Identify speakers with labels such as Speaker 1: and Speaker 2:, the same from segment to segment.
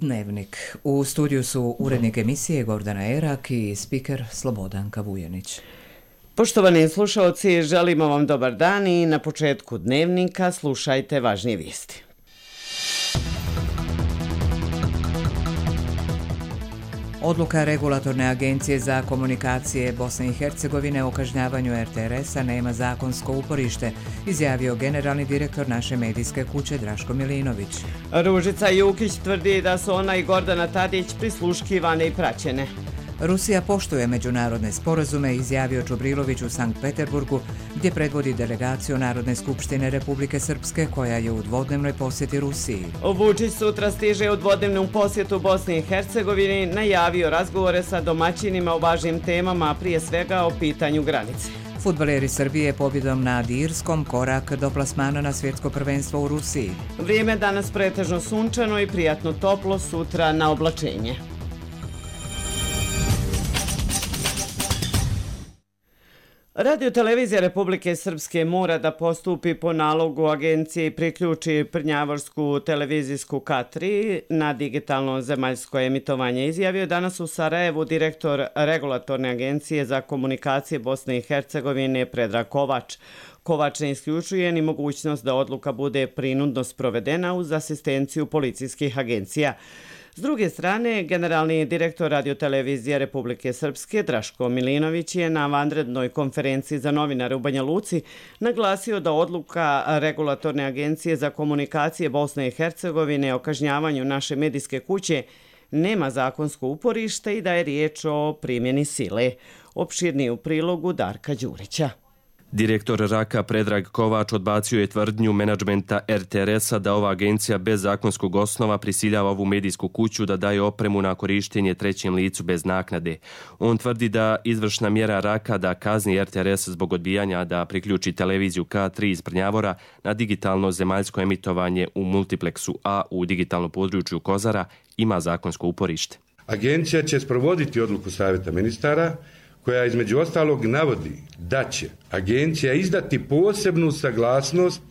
Speaker 1: Dnevnik. U studiju su urednik emisije Gordana Erak i spiker Slobodanka Vujanić.
Speaker 2: Poštovani slušalci, želimo vam dobar dan i na početku Dnevnika slušajte važnije vijesti.
Speaker 1: Odluka Regulatorne agencije za komunikacije Bosne i Hercegovine o kažnjavanju RTRS-a nema zakonsko uporište, izjavio generalni direktor naše medijske kuće Draško Milinović.
Speaker 2: Ružica Jukić tvrdi da su ona i Gordana Tadić prisluškivane i praćene.
Speaker 1: Rusija poštuje međunarodne sporazume, izjavio Čubrilović u Sankt Peterburgu, gdje predvodi delegaciju Narodne skupštine Republike Srpske, koja je u dvodnevnoj posjeti Rusiji.
Speaker 2: Vučić sutra stiže u dvodnevnom posjetu Bosni i Hercegovini, najavio razgovore sa domaćinima o važnim temama, a prije svega o pitanju granice.
Speaker 1: Fudbaleri Srbije pobjedom nad Irskom korak do plasmana na svjetsko prvenstvo u Rusiji.
Speaker 2: Vrijeme danas pretežno sunčano i prijatno toplo, sutra na oblačenje. Radio-televizija Republike Srpske mora da postupi po nalogu agencije i priključi Prnjavorsku televizijsku K3 na digitalno zemaljsko emitovanje, izjavio danas u Sarajevu direktor Regulatorne agencije za komunikacije Bosne i Hercegovine Predrag Kovač. Kovač ne isključuje ni mogućnost da odluka bude prinudno sprovedena uz asistenciju policijskih agencija. S druge strane, generalni direktor Radio-televizije Republike Srpske Draško Milinović je na vanrednoj konferenciji za novinare u Banja Luci naglasio da odluka Regulatorne agencije za komunikacije Bosne i Hercegovine o kažnjavanju naše medijske kuće nema zakonsko uporište i da je riječ o primjeni sile. Opširniji u prilogu Darka Đurića.
Speaker 3: Direktor RAK-a Predrag Kovač odbacio je tvrdnju menadžmenta RTRS-a da ova agencija bez zakonskog osnova prisiljava ovu medijsku kuću da daje opremu na korištenje trećem licu bez naknade. On tvrdi da izvršna mjera RAK-a da kazni RTRS zbog odbijanja da priključi televiziju K3 iz Prnjavora na digitalno zemaljsko emitovanje u multipleksu A u digitalnom području Kozara ima zakonsko uporište.
Speaker 4: Agencija će sprovoditi odluku Savjeta ministara koja između ostalog navodi da će agencija izdati posebnu saglasnost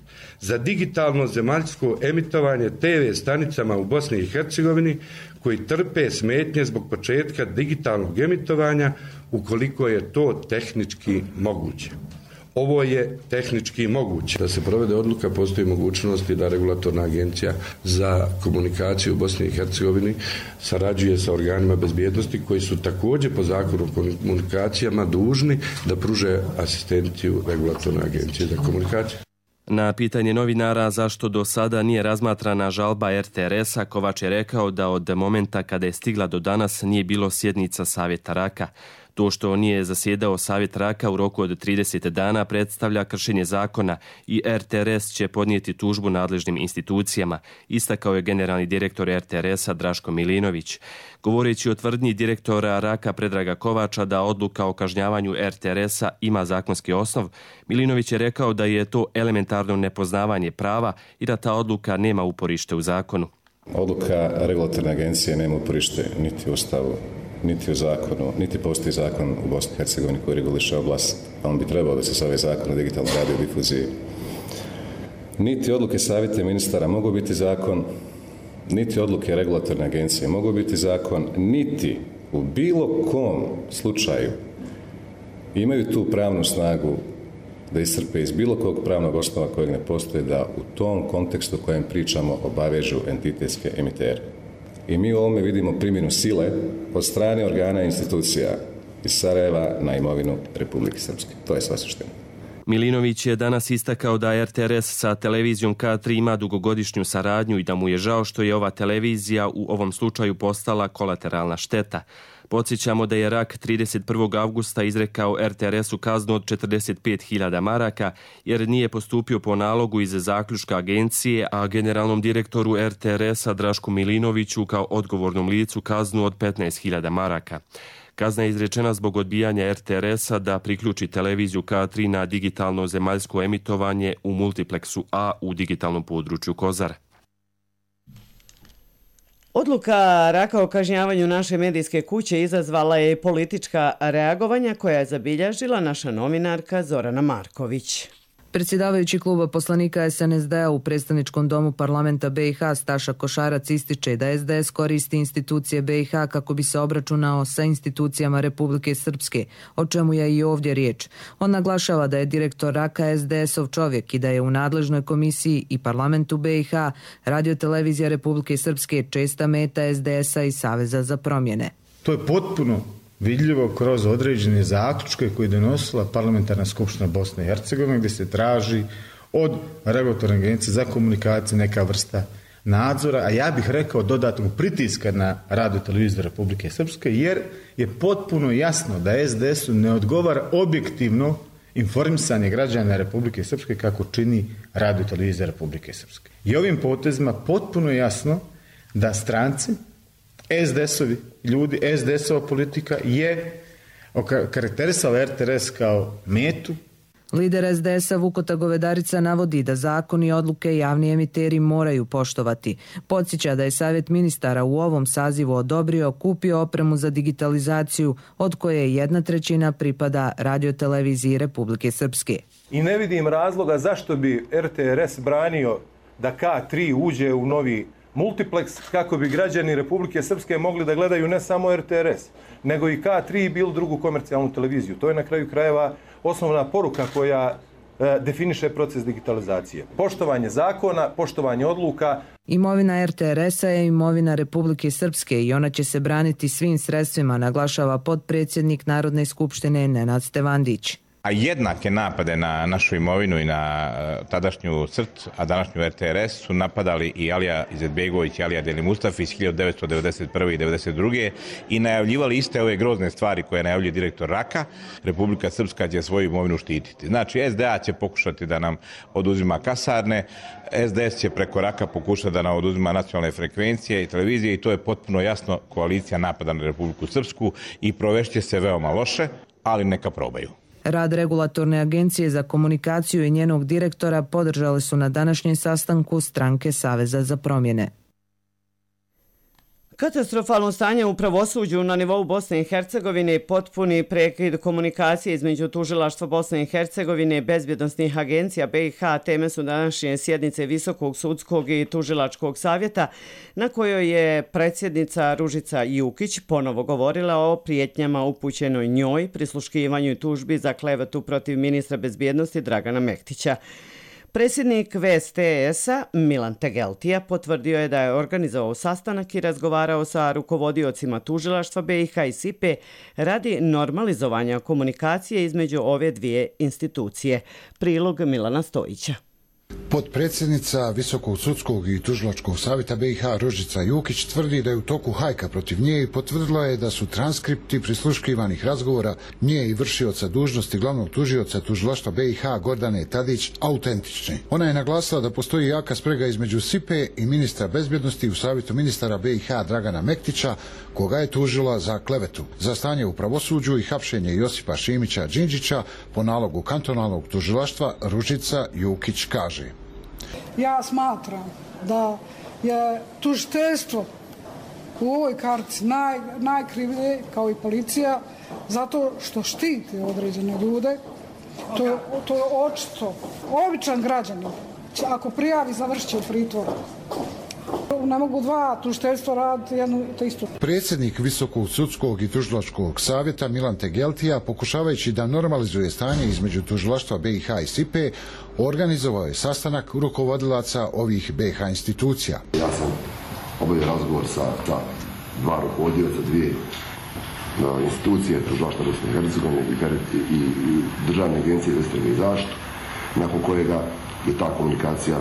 Speaker 4: za digitalno zemaljsko emitovanje TV stanicama u Bosni i Hercegovini koji trpe smetnje zbog početka digitalnog emitovanja ukoliko je to tehnički moguće. Ovo je tehnički moguće. Da se provede odluka, postoji mogućnosti da Regulatorna agencija za komunikaciju u Bosni i Hercegovini sarađuje sa organima bezbjednosti koji su također po zakonu o komunikacijama dužni da pruže asistenciju Regulatorne agencije za komunikaciju.
Speaker 3: Na pitanje novinara zašto do sada nije razmatrana žalba RTRS-a, Kovač je rekao da od momenta kada je stigla do danas nije bilo sjednica Savjeta RAK-a. To što nije zasjedao Savjet RAK-a u roku od 30 dana predstavlja kršenje zakona i RTRS će podnijeti tužbu nadležnim institucijama, istakao je generalni direktor RTRS-a Draško Milinović. Govoreći o tvrdnji direktora RAK-a Predraga Kovača da odluka o kažnjavanju RTRS-a ima zakonski osnov, Milinović je rekao da je to elementarno nepoznavanje prava i da ta odluka nema uporište u zakonu.
Speaker 5: Odluka Regulatorne agencije nema uporište niti u Ustavu, niti u zakonu, niti postoji zakon u Bosni i Hercegovini koji reguliše oblast, a on bi trebao da se zove zakon o digitalnoj radiodifuziji. Niti odluke Savjeta ministara mogu biti zakon, niti odluke Regulatorne agencije mogu biti zakon, niti u bilo kom slučaju imaju tu pravnu snagu da iscrpe iz bilo kog pravnog osnova kojeg ne postoji da u tom kontekstu u kojem pričamo obavežu entitetske emitere. I mi u ovome vidimo primjenu sile od strane organa i institucija iz Sarajeva na imovinu Republike Srpske. To je sva suština.
Speaker 3: Milinović je danas istakao da RTRS sa televizijom K3 ima dugogodišnju saradnju i da mu je žao što je ova televizija u ovom slučaju postala kolateralna šteta. Podsjećamo da je RAK 31. avgusta izrekao RTRS-u kaznu od 45.000 maraka jer nije postupio po nalogu iz zaključka agencije, a generalnom direktoru RTRS-a Drašku Milinoviću kao odgovornom licu kaznu od 15.000 maraka. Kazna je izrečena zbog odbijanja RTRS-a da priključi televiziju K3 na digitalno zemaljsko emitovanje u multipleksu A u digitalnom području Kozara.
Speaker 2: Odluka RAK-a o kažnjavanju naše medijske kuće izazvala je politička reagovanja koja je zabilježila naša novinarka Zorana Marković.
Speaker 6: Predsjedavajući kluba poslanika SNSD-a u predstavničkom domu parlamenta BiH Staša Košarac ističe da SDS koristi institucije BiH kako bi se obračunao sa institucijama Republike Srpske, o čemu je i ovdje riječ. On naglašava da je direktor Raka SDS-ov čovjek i da je u nadležnoj komisiji i parlamentu BiH radiotelevizija Republike Srpske česta meta SDS-a i Saveza za promjene.
Speaker 7: To je potpuno vidljivo kroz određene zaključke koje je donosila Parlamentarna skupština Bosne i Hercegovine, gdje se traži od regulatorne agencije za komunikaciju neka vrsta nadzora, a ja bih rekao dodatnog pritiska na radioteleviziju Republike Srpske, jer je potpuno jasno da SDS-u ne odgovara objektivno informisanje građana Republike Srpske kako čini radiotelevizija Republike Srpske. I ovim potezima potpuno je jasno da stranci, SDS-ovi ljudi, SDS-ova politika je karakterisala RTS kao metu.
Speaker 6: Lider SDS-a Vukota Govedarica navodi da zakon i odluke javni emiteri moraju poštovati. Podsjeća da je Savjet ministara u ovom sazivu odobrio, kupio opremu za digitalizaciju, od koje 1/3 pripada radioteleviziji Republike Srpske.
Speaker 8: I ne vidim razloga zašto bi RTRS branio da K3 uđe u novi multiplex kako bi građani Republike Srpske mogli da gledaju ne samo RTRS, nego i K3 i bilo drugu komercijalnu televiziju. To je na kraju krajeva osnovna poruka koja definiše proces digitalizacije. Poštovanje zakona, poštovanje odluka.
Speaker 6: Imovina RTRS-a je imovina Republike Srpske i ona će se braniti svim sredstvima, naglašava potpredsjednik Narodne skupštine Nenad Stevandić.
Speaker 9: A jednake napade na našu imovinu i na tadašnju CRT, a današnju RTRS su napadali i Alija Izetbegović i Alija Deli Mustafi iz 1991. i 1992. i najavljivali iste ove grozne stvari koje najavljuje direktor Raka. Republika Srpska će svoju imovinu štititi. Znači, SDA će pokušati da nam oduzima kasarne, SDS će preko Raka pokušati da nam oduzima nacionalne frekvencije i televizije i to je potpuno jasno koalicija napada na Republiku Srpsku i provešće se veoma loše, ali neka probaju.
Speaker 6: Rad Regulatorne agencije za komunikaciju i njenog direktora podržali su na današnjem sastanku stranke Saveza za promjene.
Speaker 2: Katastrofalno stanje u pravosuđu na nivou Bosne i Hercegovine, potpuni prekid komunikacije između Tužilaštva Bosne i Hercegovine i bezbjednosnih agencija BiH teme su današnje sjednice Visokog sudskog i tužilačkog savjeta, na kojoj je predsjednica Ružica Jukić ponovo govorila o prijetnjama upućenoj njoj, prisluškivanju i tužbi za klevetu protiv ministra bezbjednosti Dragana Mektića. Predsjednik VSTS-a Milan Tegeltija potvrdio je da je organizovao sastanak i razgovarao sa rukovodiocima tužilaštva BiH i SIPE radi normalizovanja komunikacije između ove dvije institucije. Prilog Milana Stojića.
Speaker 10: Potpredsjednica Visokog sudskog i tužilačkog savjeta BiH Ružica Jukić tvrdi da je u toku hajka protiv nje i potvrdila je da su transkripti prisluškivanih razgovora nje i vršioca dužnosti glavnog tužioca tužilaštva BiH Gordane Tadić autentični. Ona je naglasila da postoji jaka sprega između SIPE i ministra bezbjednosti u savjetu ministara BiH Dragana Mektića, koga je tužila za klevetu. Za stanje u pravosuđu i hapšenje Josipa Šimića Đinđića po nalogu kantonalnog tužilaštva Ružica Jukić kaže:
Speaker 11: Ja smatram da je tužiteljstvo u ovoj kartici najkrivlje kao i policija zato što štiti određene ljude. To je očito. Običan građanin, ako prijavi, završit će u pritvoru. Ne mogu dva tužiteljstva raditi jedno to isto.
Speaker 10: Predsjednik Visokog sudskog i tužilačkog savjeta Milan Tegeltija, pokušavajući da normalizuje stanje između tužilaštva BiH i SIPE, organizovao je sastanak rukovodilaca ovih BiH institucija.
Speaker 12: Ja sam obavio razgovor sa dva rukovodioca, dvije institucije, tužilaštva Bosne i Hercegovine i Državne agencije za istragu i zaštitu, nakon kojega je ta komunikacija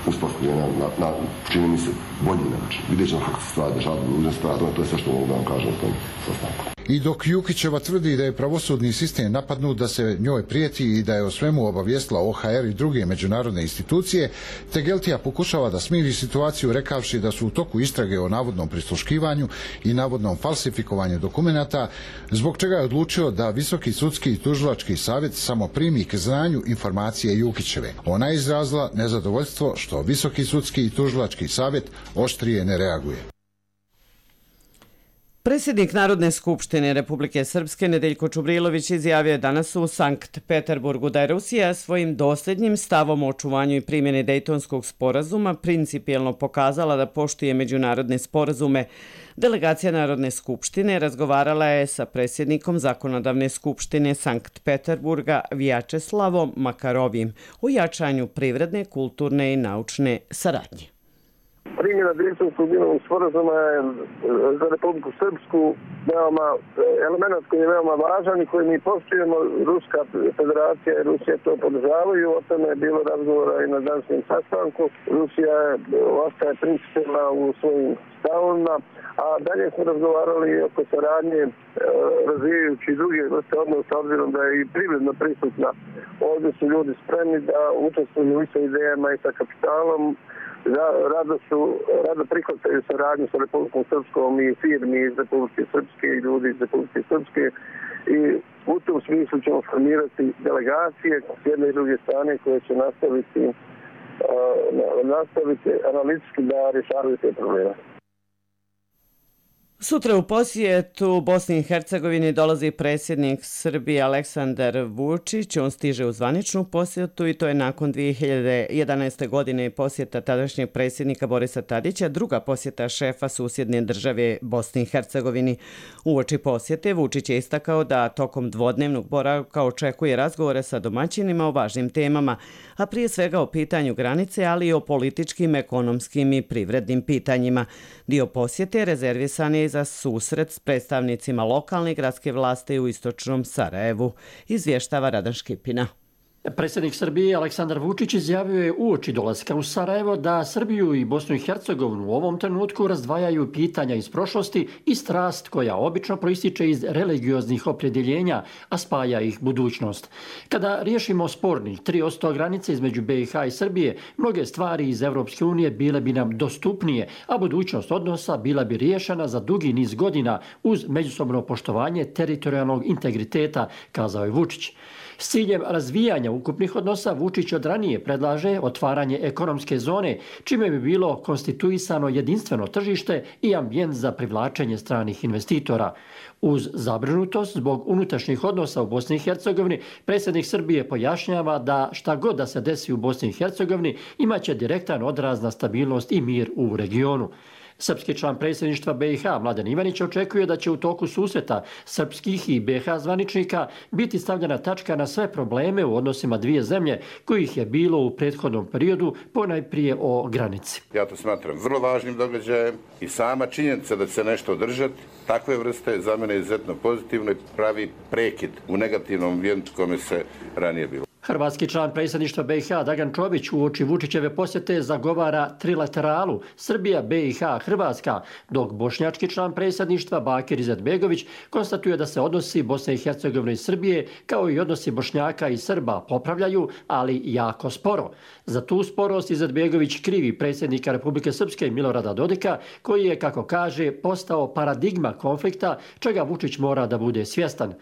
Speaker 12: uspostavljena na, čini mi se, bolji način. Vidjet ćemo kako se stvari dešavaju u budućnosti, to je sve što mogu da vam kažem o tom sastanku.
Speaker 10: I dok Jukićeva tvrdi da je pravosudni sistem napadnut, da se njoj prijeti i da je o svemu obavijestila OHR i druge međunarodne institucije, Tegeltija pokušava da smiri situaciju rekavši da su u toku istrage o navodnom prisluškivanju i navodnom falsifikovanju dokumenata, zbog čega je odlučio da Visoki sudski i tužilački savjet samo primi k znanju informacije Jukićeve. Ona je izrazila nezadovoljstvo što Visoki sudski i tužilački savjet oštrije ne reaguje.
Speaker 2: Predsjednik Narodne skupštine Republike Srpske Nedeljko Čubrilović izjavio je danas u Sankt Peterburgu da je Rusija svojim dosljednjim stavom o očuvanju i primjeni Dejtonskog sporazuma principijelno pokazala da poštuje međunarodne sporazume. Delegacija Narodne skupštine razgovarala je sa predsjednikom Zakonodavne skupštine Sankt Peterburga Vjačeslavom Makarovim o jačanju privredne, kulturne i naučne saradnje.
Speaker 13: Primjena Dejtonskog mirovnog sporazuma je za Republiku Srpsku element koji je veoma važan i koji mi poštujemo. Ruska federacija i Rusija to podržavaju. O tome je bilo razgovora i na današnjem sastanku. Rusija ostaje principijelna u svojim stavovima, a dalje smo razgovarali oko saradnje razvijajući druge vrste odnosa, obzirom da je i privredno prisutna. Ovdje su ljudi spremni da učestvuju i sa idejama i sa kapitalom. Rado prihvataju saradnju sa Republikom Srpskom i firmi iz Republike Srpske i ljudi iz Republike Srpske i u tom smislu ćemo formirati delegacije s jedne i druge strane koje će nastaviti analitički da rješavaju te probleme.
Speaker 2: Sutra u posjetu Bosni i Hercegovini dolazi predsjednik Srbije Aleksandar Vučić. On stiže u zvaničnu posjetu i to je nakon 2011. godine posjeta tadašnjeg predsjednika Borisa Tadića, druga posjeta šefa susjedne države Bosni i Hercegovini. Uoči posjete Vučić je istakao da tokom dvodnevnog boravka očekuje razgovore sa domaćinima o važnim temama, a prije svega o pitanju granice, ali i o političkim, ekonomskim i privrednim pitanjima. Dio posjete rezervisan je za susret s predstavnicima lokalne i gradske vlasti u istočnom Sarajevu, izvještava Radan Škipina.
Speaker 14: Predsjednik Srbije Aleksandar Vučić izjavio je uoči dolaska u Sarajevo da Srbiju i Bosnu i Hercegovinu u ovom trenutku razdvajaju pitanja iz prošlosti i strast koja obično proističe iz religioznih opredjeljenja, a spaja ih budućnost. Kada riješimo spornih 3% granice između BiH i Srbije, mnoge stvari iz Evropske unije bile bi nam dostupnije, a budućnost odnosa bila bi riješena za dugi niz godina uz međusobno poštovanje teritorijalnog integriteta, kazao je Vučić. S ciljem razvijanja ukupnih odnosa Vučić od ranije predlaže otvaranje ekonomske zone, čime bi bilo konstituisano jedinstveno tržište i ambijent za privlačenje stranih investitora. Uz zabrinutost zbog unutrašnjih odnosa u Bosni i Hercegovini, predsjednik Srbije pojašnjava da šta god da se desi u Bosni i Hercegovini imaće direktan odraz na stabilnost i mir u regionu. Srpski član predsjedništva BiH Mladen Ivanić očekuje da će u toku susreta srpskih i BiH zvaničnika biti stavljena tačka na sve probleme u odnosima dvije zemlje kojih je bilo u prethodnom periodu, ponajprije o granici.
Speaker 15: Ja to smatram vrlo važnim događajem i sama činjenica da će se nešto održati takve vrste za mene je izuzetno pozitivno i pravi prekid u negativnom ambijentu kome se ranije bilo.
Speaker 14: Hrvatski član predsjedništva BiH Dragan Čović uoči Vučićeve posjete zagovara trilateralu Srbija, BiH, Hrvatska, dok bošnjački član predsjedništva Bakir Izetbegović konstatuje da se odnosi Bosne i Hercegovine i Srbije kao i odnosi Bošnjaka i Srba popravljaju, ali jako sporo. Za tu sporost Izetbegović krivi predsjednika Republike Srpske Milorada Dodika, koji je, kako kaže, postao paradigma konflikta, čega Vučić mora da bude svjestan.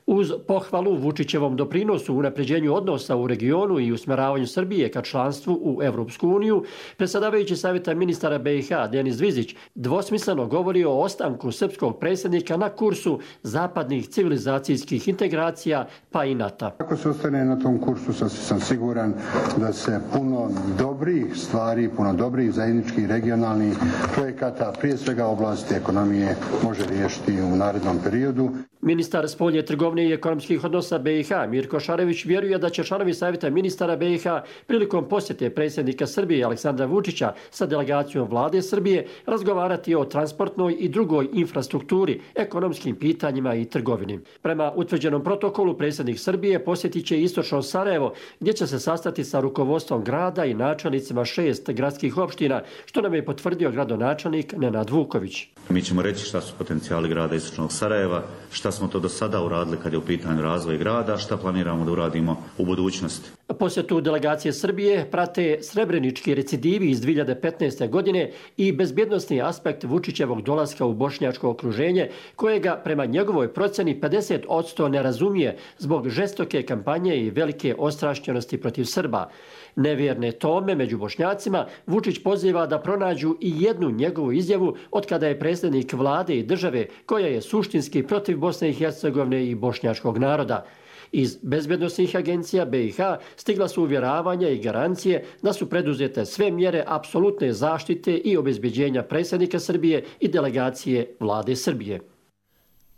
Speaker 14: Uz pohvalu Vučićevom doprinosu u unapređenju odnosa u regionu i usmjeravanju Srbije ka članstvu u Evropsku uniju, predsjedavajući Savjeta ministara BiH Denis Zvizić dvosmisleno govori o ostanku srpskog predsjednika na kursu zapadnih civilizacijskih integracija pa i NATO.
Speaker 16: Ako se ostane na tom kursu, sam siguran da se puno dobrih stvari, puno dobrih zajedničkih regionalnih projekata, prije svega oblasti ekonomije, može riješiti u narednom periodu.
Speaker 14: Ministar spoljne trgovine i ekonomskih odnosa BiH Mirko Šarević vjeruje da će članovi Savjeta ministara BiH prilikom posjete predsjednika Srbije Aleksandra Vučića sa delegacijom vlade Srbije razgovarati o transportnoj i drugoj infrastrukturi, ekonomskim pitanjima i trgovini. Prema utvrđenom protokolu predsjednik Srbije posjetit će istočno Sarajevo, gdje će se sastati sa rukovodstvom grada i načelnicima 6 gradskih opština, što nam je potvrdio gradonačelnik Nenad Vuković.
Speaker 17: Mi ćemo reći šta su potencijali grada istočnog Sarajeva, šta smo to do sada uradili kad je u pitanju razvoj grada, šta planiramo da uradimo u budućnosti.
Speaker 14: Posjetu delegacije Srbije prate srebrenički recidivi iz 2015. godine i bezbjednosni aspekt Vučićevog dolaska u bošnjačko okruženje, kojega prema njegovoj procjeni 50% ne razumije zbog žestoke kampanje i velike ostrašćenosti protiv Srba. Nevjerne tome među Bošnjacima Vučić poziva da pronađu i jednu njegovu izjavu od kada je predsjednik vlade i države koja je suštinski protiv Bosne i Hercegovine i bošnjačkog naroda. Iz bezbjednosnih agencija BiH stigla su uvjeravanja i garancije da su preduzete sve mjere apsolutne zaštite i obezbeđenja predsjednika Srbije i delegacije vlade Srbije.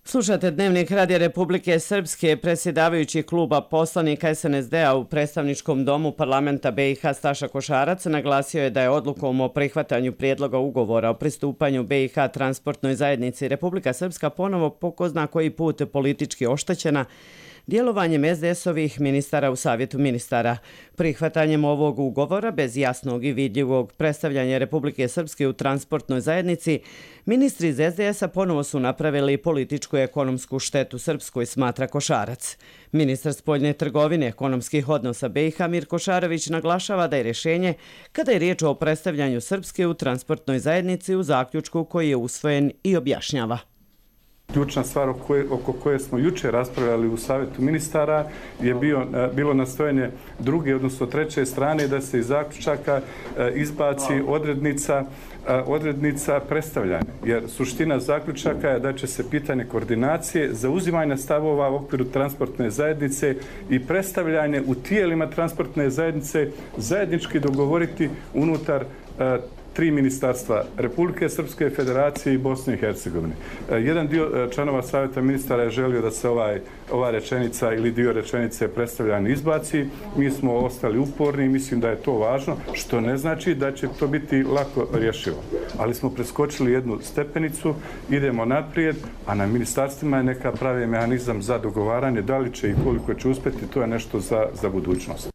Speaker 2: Slušate Dnevnik Radija Republike Srpske. Predsjedavajući kluba poslanika SNSD-a u predstavničkom domu parlamenta BiH Staša Košarac naglasio je da je odlukom o prihvatanju prijedloga ugovora o pristupanju BiH transportnoj zajednici Republika Srpska ponovo po ko zna koji put politički oštećena djelovanjem SDS-ovih ministara u Savjetu ministara. Prihvatanjem ovog ugovora bez jasnog i vidljivog predstavljanja Republike Srpske u transportnoj zajednici, ministri iz SDS-a ponovo su napravili političku i ekonomsku štetu Srpskoj, smatra Košarac. Ministar spoljne trgovine ekonomskih odnosa BiH Mirko Šarović naglašava da je rješenje kada je riječ o predstavljanju Srpske u transportnoj zajednici u zaključku koji je usvojen i objašnjava.
Speaker 18: Ključna stvar oko koje smo jučer raspravljali u Savjetu ministara je bilo nastojanje druge, odnosno treće strane da se iz zaključaka izbaci odrednica predstavljanja. Jer suština zaključaka je da će se pitanje koordinacije, zauzimanja stavova u okviru transportne zajednice i predstavljanje u tijelima transportne zajednice zajednički dogovoriti unutar 3 ministarstva Republike Srpske, Federacije i Bosne i Hercegovine. Jedan dio članova Savjeta ministara je želio da se ova rečenica ili dio rečenice predstavljanja izbaci. Mi smo ostali uporni i mislim da je to važno, što ne znači da će to biti lako rješivo. Ali smo preskočili jednu stepenicu, idemo naprijed, a na ministarstvima je neka pravi mehanizam za dogovaranje. Da li će i koliko će uspjeti, to je nešto za budućnost.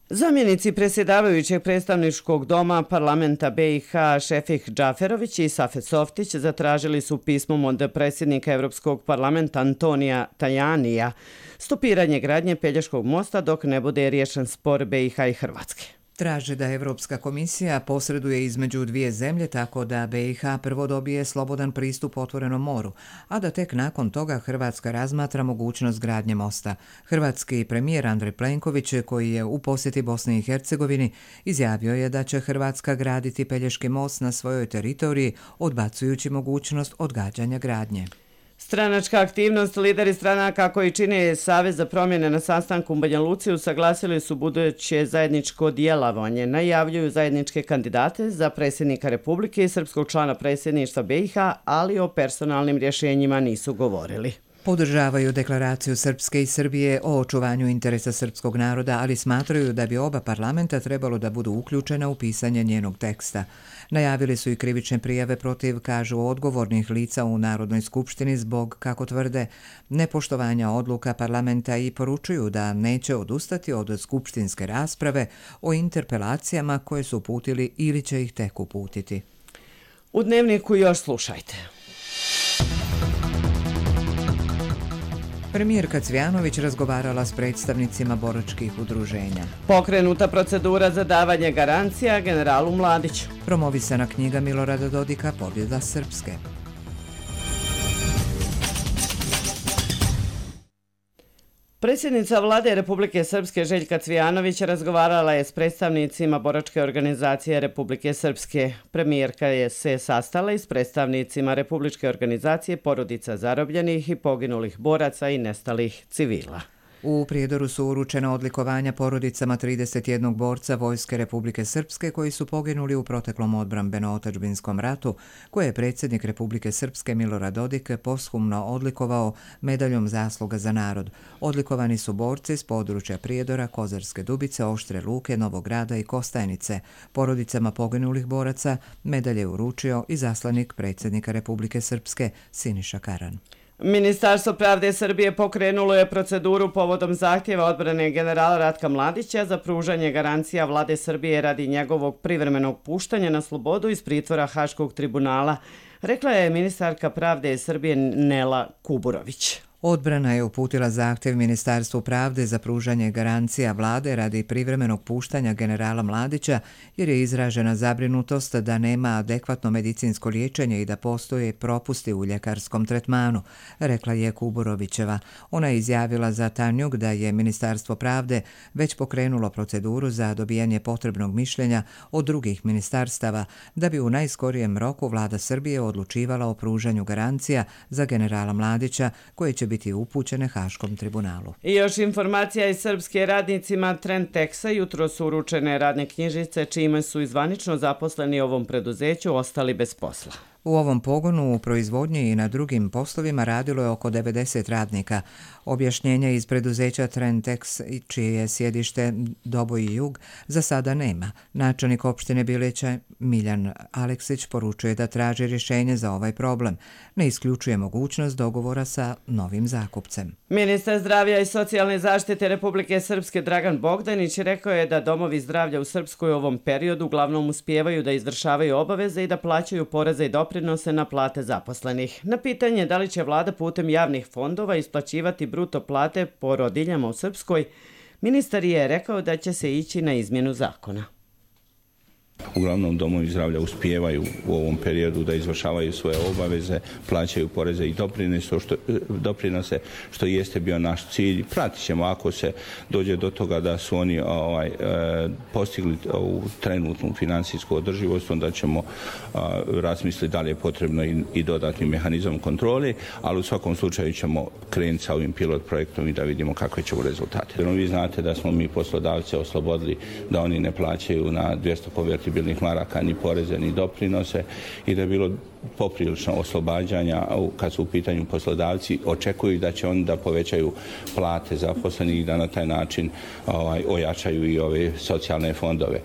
Speaker 2: Zamjenici predsjedavajućeg predstavničkog doma parlamenta BiH Šefik Džaferović i Safet Softić zatražili su pismom od predsjednika Europskog parlamenta Antonija Tajanija stopiranje gradnje Pelješkog mosta dok ne bude riješen spor BiH i Hrvatske.
Speaker 1: Traže da Evropska komisija posreduje između dvije zemlje tako da BiH prvo dobije slobodan pristup otvorenom moru, a da tek nakon toga Hrvatska razmatra mogućnost gradnje mosta. Hrvatski premijer Andrej Plenković, koji je u posjeti Bosni i Hercegovini, izjavio je da će Hrvatska graditi Pelješki most na svojoj teritoriji, odbacujući mogućnost odgađanja gradnje.
Speaker 2: Stranačka aktivnost, lideri stranaka koji čine Savez za promjene na sastanku u Banja Luci usaglasili su buduće zajedničko djelovanje. Najavljuju zajedničke kandidate za predsjednika Republike i srpskog člana predsjedništva BiH, ali o personalnim rješenjima nisu govorili.
Speaker 1: Podržavaju deklaraciju Srpske i Srbije o očuvanju interesa srpskog naroda, ali smatraju da bi oba parlamenta trebalo da budu uključena u pisanje njenog teksta. Najavili su i krivične prijave protiv, kažu, odgovornih lica u Narodnoj skupštini zbog, kako tvrde, nepoštovanja odluka parlamenta i poručuju da neće odustati od skupštinske rasprave o interpelacijama koje su uputili ili će ih tek uputiti.
Speaker 2: U Dnevniku još slušajte.
Speaker 1: Premijerka Cvjanović razgovarala s predstavnicima boračkih udruženja.
Speaker 2: Pokrenuta procedura za davanje garancija generalu Mladiću.
Speaker 1: Promovisana knjiga Milorada Dodika Pobjeda Srpske.
Speaker 2: Predsjednica vlade Republike Srpske Željka Cvjanović razgovarala je s predstavnicima boračke organizacije Republike Srpske. Premijerka je se sastala i s predstavnicima Republičke organizacije porodica zarobljenih i poginulih boraca i nestalih civila.
Speaker 1: U Prijedoru su uručena odlikovanja porodicama 31 borca Vojske Republike Srpske koji su poginuli u proteklom odbrambeno-otadžbinskom ratu, koje je predsjednik Republike Srpske Milorad Dodik posthumno odlikovao medaljom zasluga za narod. Odlikovani su borci s područja Prijedora, Kozarske Dubice, Oštre Luke, Novog Grada i Kostajnice. Porodicama poginulih boraca medalje je uručio i zaslanik predsjednika Republike Srpske Siniša Karan.
Speaker 2: Ministarstvo pravde Srbije pokrenulo je proceduru povodom zahtjeva odbrane generala Ratka Mladića za pružanje garancija vlade Srbije radi njegovog privremenog puštanja na slobodu iz pritvora Haškog tribunala, rekla je ministarka pravde Srbije Nela Kuburović.
Speaker 1: Odbrana je uputila zahtjev Ministarstvu pravde za pružanje garancija vlade radi privremenog puštanja generala Mladića jer je izražena zabrinutost da nema adekvatno medicinsko liječenje i da postoje propusti u ljekarskom tretmanu, rekla je Kuburovićeva. Ona je izjavila za Tanjug da je Ministarstvo pravde već pokrenulo proceduru za dobijanje potrebnog mišljenja od drugih ministarstava da bi u najskorijem roku vlada Srbije odlučivala o pružanju garancija za generala Mladića koje će biti upućene Haškom tribunalu.
Speaker 2: I još informacija iz srpske radnicima Trenteksa. Jutro su uručene radne knjižice čime su izvanično zaposleni ovom preduzeću ostali bez posla.
Speaker 1: U ovom pogonu u proizvodnji i na drugim poslovima radilo je oko 90 radnika. Objašnjenja iz preduzeća Trentex, čije je sjedište Doboj i Jug, za sada nema. Načelnik opštine Bileća Miljan Aleksić poručuje da traži rješenje za ovaj problem. Ne isključuje mogućnost dogovora sa novim zakupcem.
Speaker 2: Ministar zdravlja i socijalne zaštite Republike Srpske Dragan Bogdanić rekao je da domovi zdravlja u Srpskoj u ovom periodu uglavnom uspijevaju da izvršavaju obaveze i da plaćaju poreze i doprinose na plate zaposlenih. Na pitanje da li će vlada putem javnih fondova isplaćivati bruto plate porodiljama u Srpskoj, ministar je rekao da će se ići na izmjenu zakona.
Speaker 19: Uglavnom domovi zdravlja uspijevaju u ovom periodu da izvršavaju svoje obaveze, plaćaju poreze i doprinose, što jeste bio naš cilj. Pratit ćemo ako se dođe do toga da su oni postigli ovu trenutnu financijsku održivost, onda ćemo razmisliti da li je potrebno i dodatni mehanizam kontrole, ali u svakom slučaju ćemo krenuti sa ovim pilot projektom i da vidimo kakve ćemo rezultate. Vi znate da smo mi poslodavce oslobodili da oni ne plaćaju na 200 konvertibilnih maraka ni poreze ni doprinose i da je bilo poprilično oslobađanja kad su u pitanju poslodavci. Očekuju da će oni da povećaju plate zaposlenih i da na taj način ojačaju i ove socijalne fondove.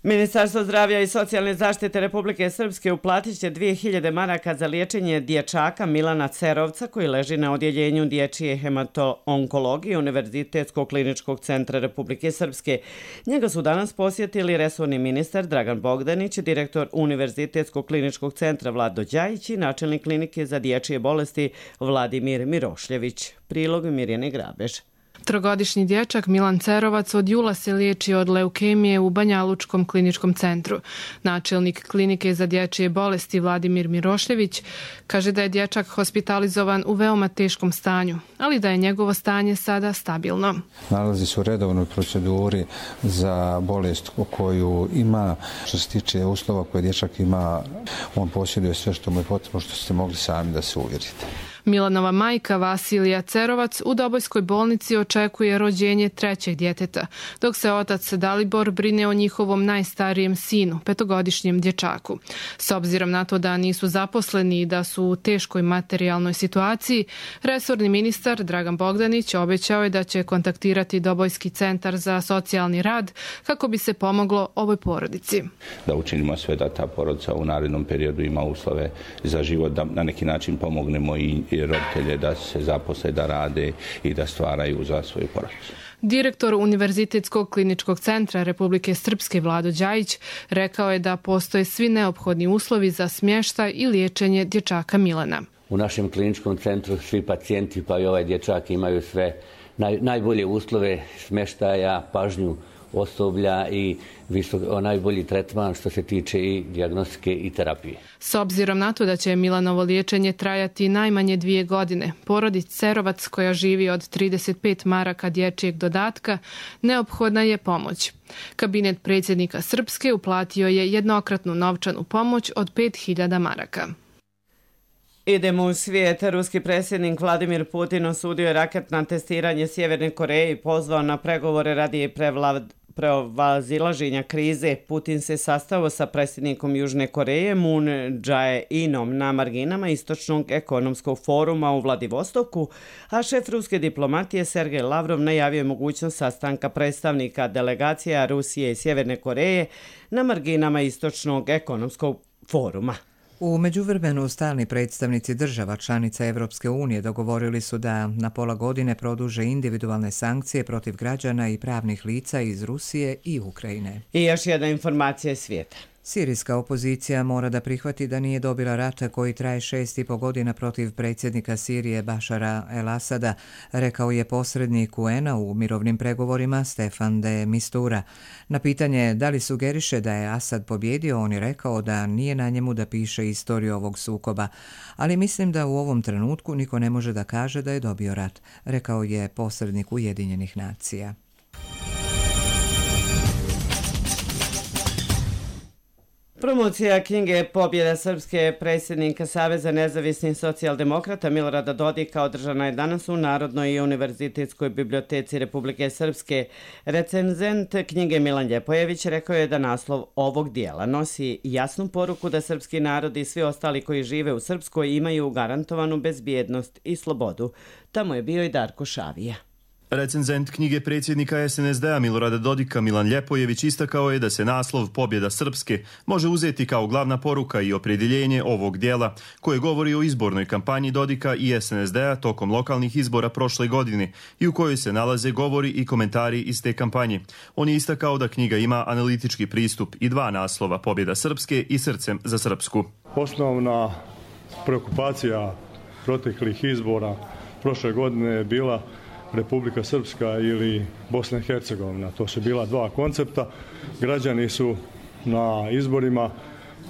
Speaker 2: Ministarstvo zdravlja i socijalne zaštite Republike Srpske uplatit će 2000 maraka za liječenje dječaka Milana Cerovca koji leži na odjeljenju dječje hemato-onkologije Univerzitetskog kliničkog centra Republike Srpske. Njega su danas posjetili resorni ministar Dragan Bogdanić, direktor Univerzitetskog kliničkog centra Vlado Đajić i načelnik klinike za dječje bolesti Vladimir Mirošljević. Prilog Mirjane Grabež.
Speaker 20: Trogodišnji dječak Milan Cerovac od jula se liječi od leukemije u Banjalučkom kliničkom centru. Načelnik klinike za dječje bolesti Vladimir Mirošljević kaže da je dječak hospitalizovan u veoma teškom stanju, ali da je njegovo stanje sada stabilno.
Speaker 21: Nalazi se u redovnoj proceduri za bolest koju ima. Što se tiče uslova koje dječak ima, on posjeduje sve što mu je potrebno, što ste mogli sami da se uvjerite.
Speaker 20: Milanova majka Vasilija Cerovac u Dobojskoj bolnici očekuje rođenje trećeg djeteta, dok se otac Dalibor brine o njihovom najstarijem sinu, 5-godišnjem dječaku. S obzirom na to da nisu zaposleni i da su u teškoj materijalnoj situaciji, resorni ministar Dragan Bogdanić obećao je da će kontaktirati Dobojski centar za socijalni rad kako bi se pomoglo ovoj porodici.
Speaker 19: Da učinimo sve da ta porodica u narednom periodu ima uslove za život, da na neki način pomognemo i roditelje da se zaposle, da rade i da stvaraju za svoju porodicu.
Speaker 20: Direktor Univerzitetskog kliničkog centra Republike Srpske Vlado Đajić rekao je da postoje svi neophodni uslovi za smještaj i liječenje dječaka Milana.
Speaker 22: U našem kliničkom centru svi pacijenti pa i ovaj dječak imaju sve najbolje uslove smještaja, pažnju osoblja i najbolji tretman što se tiče i dijagnostike i terapije.
Speaker 20: S obzirom na to da će Milanovo liječenje trajati najmanje 2 godine, porodici Cerovac koja živi od 35 maraka dječjeg dodatka, neophodna je pomoć. Kabinet predsjednika Srpske uplatio je jednokratnu novčanu pomoć od 5000 maraka.
Speaker 2: Idemo u svijet. Ruski predsjednik Vladimir Putin osudio je raketno testiranje Sjeverne Koreje i pozvao na pregovore radi prevazilaženja krize. Putin se sastao sa predsjednikom Južne Koreje Moon Jae-inom na marginama Istočnog ekonomskog foruma u Vladivostoku, a šef ruske diplomatije Sergej Lavrov najavio je mogućnost sastanka predstavnika delegacija Rusije i Sjeverne Koreje na marginama Istočnog ekonomskog foruma.
Speaker 1: U međuvremenu stalni predstavnici država članica Evropske unije dogovorili su da na pola godine produže individualne sankcije protiv građana i pravnih lica iz Rusije i Ukrajine.
Speaker 2: I još jedna informacija iz svijeta.
Speaker 1: Sirijska opozicija mora da prihvati da nije dobila rata koji traje 6,5 godina protiv predsjednika Sirije Bašara el-Asada, rekao je posrednik UN-a u mirovnim pregovorima Stefan de Mistura. Na pitanje da li sugeriše da je Asad pobjedio, on je rekao da nije na njemu da piše istoriju ovog sukoba, ali mislim da u ovom trenutku niko ne može da kaže da je dobio rat, rekao je posrednik Ujedinjenih nacija.
Speaker 2: Promocija knjige Pobjeda Srpske predsjednika Saveza nezavisnih socijaldemokrata Milorada Dodika održana je danas u Narodnoj i univerzitetskoj biblioteci Republike Srpske. Recenzent knjige Milan Ljepojević rekao je da naslov ovog dijela nosi jasnu poruku da srpski narod i svi ostali koji žive u Srpskoj imaju garantovanu bezbjednost i slobodu. Tamo je bio i Darko Šavija.
Speaker 4: Recenzent knjige predsjednika SNSD-a Milorada Dodika Milan Ljepojević istakao je da se naslov Pobjeda Srpske može uzeti kao glavna poruka i opredjeljenje ovog dijela, koje govori o izbornoj kampanji Dodika i SNSD-a tokom lokalnih izbora prošle godine i u kojoj se nalaze govori i komentari iz te kampanje. On je istakao da knjiga ima analitički pristup i dva naslova, Pobjeda Srpske i Srcem za Srpsku.
Speaker 5: Osnovna preokupacija proteklih izbora prošle godine je bila Republika Srpska ili Bosna i Hercegovina. To su bila dva koncepta. Građani su na izborima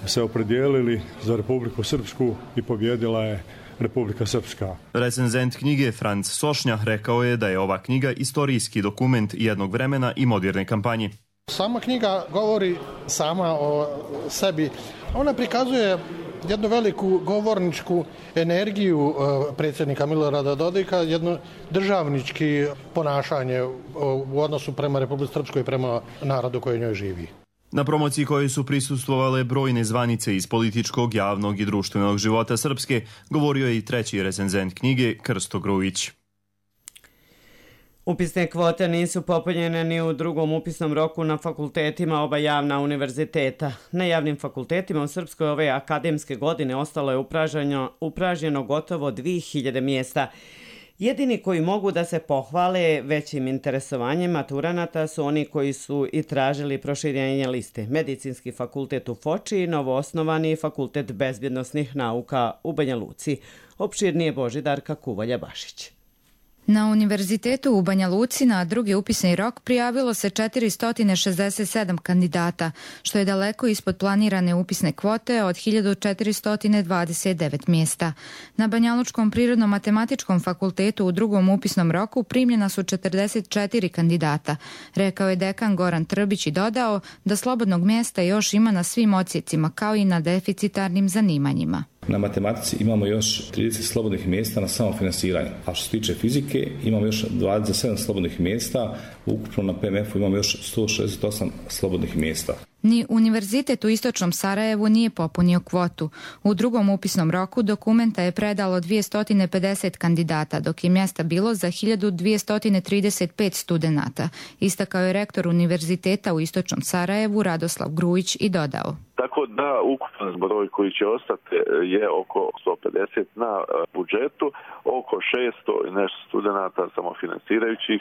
Speaker 5: se opredijelili za Republiku Srpsku i pobjedila je Republika Srpska.
Speaker 4: Recenzent knjige Franc Sošnja rekao je da je ova knjiga istorijski dokument jednog vremena i moderne kampanje.
Speaker 23: Sama knjiga govori sama o sebi. Ona prikazuje jednu veliku govorničku energiju predsjednika Milorada Dodika, jedno državnički ponašanje u odnosu prema Republici Srpskoj i prema narodu koji njoj živi.
Speaker 4: Na promociji kojoj su prisustvovale brojne zvanice iz političkog, javnog i društvenog života Srpske, govorio je i treći recenzent knjige Krsto Grujić.
Speaker 2: Upisne kvote nisu popunjene ni u drugom upisnom roku na fakultetima oba javna univerziteta. Na javnim fakultetima u Srpskoj ove akademske godine ostalo je upražnjeno gotovo 2000 mjesta. Jedini koji mogu da se pohvale većim interesovanjem maturanata su oni koji su i tražili proširenje liste. Medicinski fakultet u Foči i novoosnovani fakultet bezbjednosnih nauka u Banja Luci. Opširnije Božidarka Kuvalja-Bašić.
Speaker 24: Na univerzitetu u Banja Luci na drugi upisni rok prijavilo se 467 kandidata, što je daleko ispod planirane upisne kvote od 1429 mjesta. Na Banjalučkom prirodno-matematičkom fakultetu u drugom upisnom roku primljena su 44 kandidata, rekao je dekan Goran Trbić i dodao da slobodnog mjesta još ima na svim odsjecima kao i na deficitarnim zanimanjima.
Speaker 25: Na matematici imamo još 30 slobodnih mjesta na samofinansiranju, a što se tiče fizike imamo još 27 slobodnih mjesta, ukupno na PMF-u imamo još 168 slobodnih mjesta.
Speaker 24: Ni Univerzitet u Istočnom Sarajevu nije popunio kvotu. U drugom upisnom roku dokumenta je predalo 250 kandidata, dok je mjesta bilo za 1235 studenata, istakao je rektor Univerziteta u Istočnom Sarajevu Radoslav Grujić i dodao.
Speaker 26: Tako da ukupan broj koji će ostati je oko 150 na budžetu, oko 600 i nešto studenata samofinansirajućih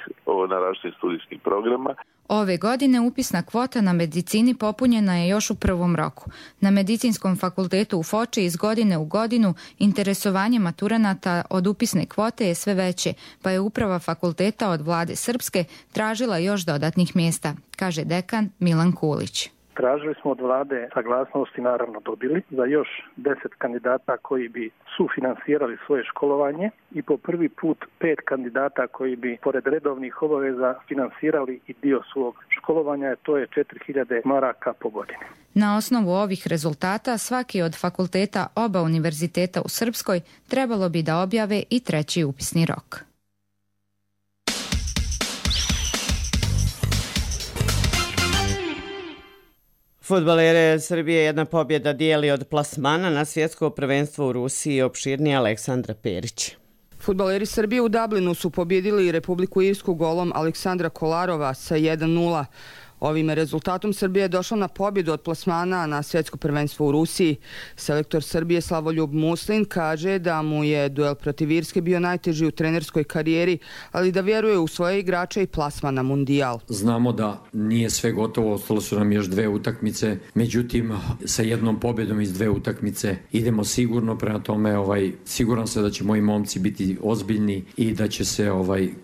Speaker 26: na različitim studijskim programa.
Speaker 24: Ove godine upisna kvota na medicini popunjena je još u prvom roku. Na Medicinskom fakultetu u Foči iz godine u godinu interesovanje maturanata od upisne kvote je sve veće, pa je uprava fakulteta od vlade Srpske tražila još dodatnih mjesta, kaže dekan Milan Kulić.
Speaker 27: Tražili smo od vlade saglasnosti, naravno dobili, za još 10 kandidata koji bi sufinansirali svoje školovanje i po prvi put 5 kandidata koji bi pored redovnih obaveza finansirali i dio svog školovanja, to je 4000 maraka po godini.
Speaker 24: Na osnovu ovih rezultata svaki od fakulteta oba univerziteta u Srpskoj trebalo bi da objave i treći upisni rok.
Speaker 2: Fudbalere Srbije jedna pobjeda dijeli od plasmana na svjetsko prvenstvo u Rusiji, opširnije Aleksandra Perić.
Speaker 28: Fudbaleri Srbije u Dublinu su pobjedili Republiku Irsku golom Aleksandra Kolarova sa 1:0.
Speaker 3: Ovim rezultatom Srbija je došla na pobjedu od plasmana na svjetsko prvenstvo u Rusiji. Selektor Srbije Slavoljub Muslin kaže da mu je duel protiv Irske bio najteži u trenerskoj karijeri, ali da vjeruje u svoje igrače i plasman na mundijal.
Speaker 6: Znamo da nije sve gotovo, ostalo su nam još 2 utakmice, međutim sa jednom pobjedom iz 2 utakmice idemo sigurno, prema tome siguran sam da će moji momci biti ozbiljni i da će se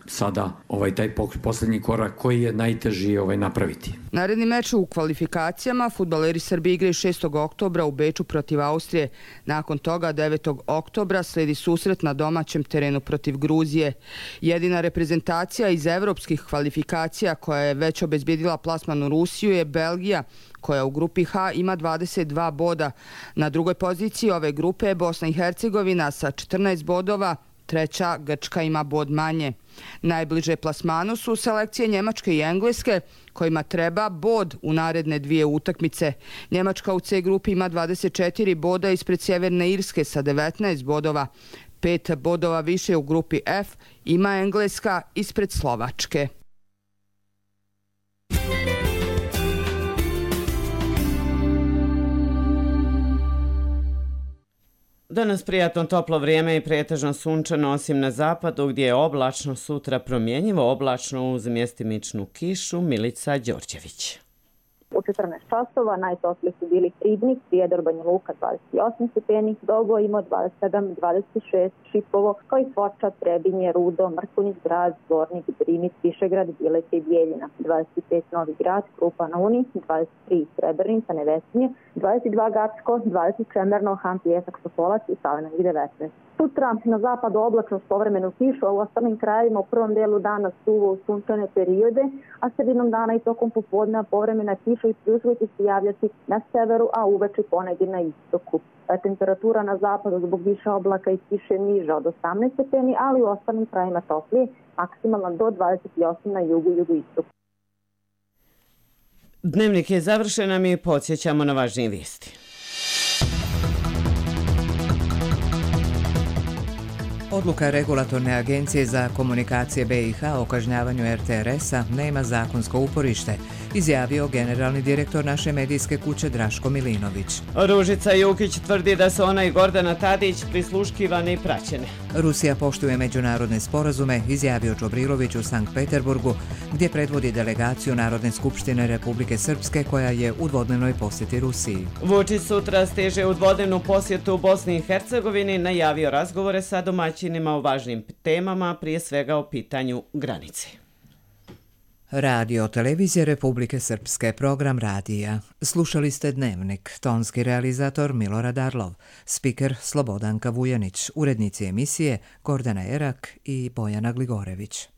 Speaker 6: sada taj posljednji korak koji je najteži napraviti.
Speaker 3: Naredni meč u kvalifikacijama fudbaleri Srbije igraju 6. oktobra u Beču protiv Austrije. Nakon toga 9. oktobra sledi susret na domaćem terenu protiv Gruzije. Jedina reprezentacija iz evropskih kvalifikacija koja je već obezbjedila plasman u Rusiju je Belgija, koja u grupi H ima 22 boda. Na drugoj poziciji ove grupe je Bosna i Hercegovina sa 14 bodova, treća Grčka ima bod manje. Najbliže plasmanu su selekcije Njemačke i Engleske, kojima treba bod u naredne 2 utakmice. Njemačka u C grupi ima 24 boda ispred Sjeverne Irske sa 19 bodova. 5 bodova više u grupi F ima Engleska ispred Slovačke.
Speaker 2: Danas prijatno toplo vrijeme i pretežno sunčano, osim na zapadu gdje je oblačno, sutra promjenjivo oblačno uz mjestimičnu kišu. Milica Đorđević.
Speaker 7: U 14 časova najtopliji su bili Ribnik, Prijedor, Banja Luka 28 stepeni, Dogo imao 27, 26, Šipovo, kao i Foča, Trebinje, Rudo, Mrkonjić, Grad, Zvornik, Drimic, Višegrad, Bileće i Bijeljina, 25 Novi Grad, Krupa na Uni, 23 Srebrenica, Nevesinje, 22 Gacko, 20 Čemerno, Han, Pijesak, Sopolac i Savena 19. Sutra na zapadu oblačno s povremenu kišu, a u ostalim krajevima u prvom delu dana suvo u sunčane periode, a sredinom dana i tokom popodneva povremena kiša i pljuskovi će se javljati na severu, a uveče ponegdje na istoku. Temperatura na zapadu zbog više oblaka i kiše niža od 18 stepeni, ali u ostalim krajevima toplije, maksimalno do 28 na jugu i jugoistoku.
Speaker 2: Dnevnik je završen, a mi podsjećamo na važnije vijesti.
Speaker 1: Odluka Regulatorne agencije za komunikacije BiH o kažnjavanju RTRS-a nema zakonsko uporište, izjavio generalni direktor naše medijske kuće Draško Milinović.
Speaker 2: Ružica Jukić tvrdi da su ona i Gordana Tadić prisluškivane i praćene.
Speaker 1: Rusija poštuje međunarodne sporazume, izjavio Čobrilović u Sankt Peterburgu, gdje predvodi delegaciju Narodne skupštine Republike Srpske koja je u dvodnevnoj posjeti Rusiji.
Speaker 2: Vučić sutra stiže u dvodnevnu posjetu u Bosni i Hercegovini, najavio razgovore sa domaćinima o važnim temama, prije svega o pitanju granice.
Speaker 1: Radio Televizije Republike Srpske, program radija. Slušali ste Dnevnik, tonski realizator Milorad Arlov, spiker Slobodanka Vujanić, urednici emisije Gordana Erak i Bojana Gligorević.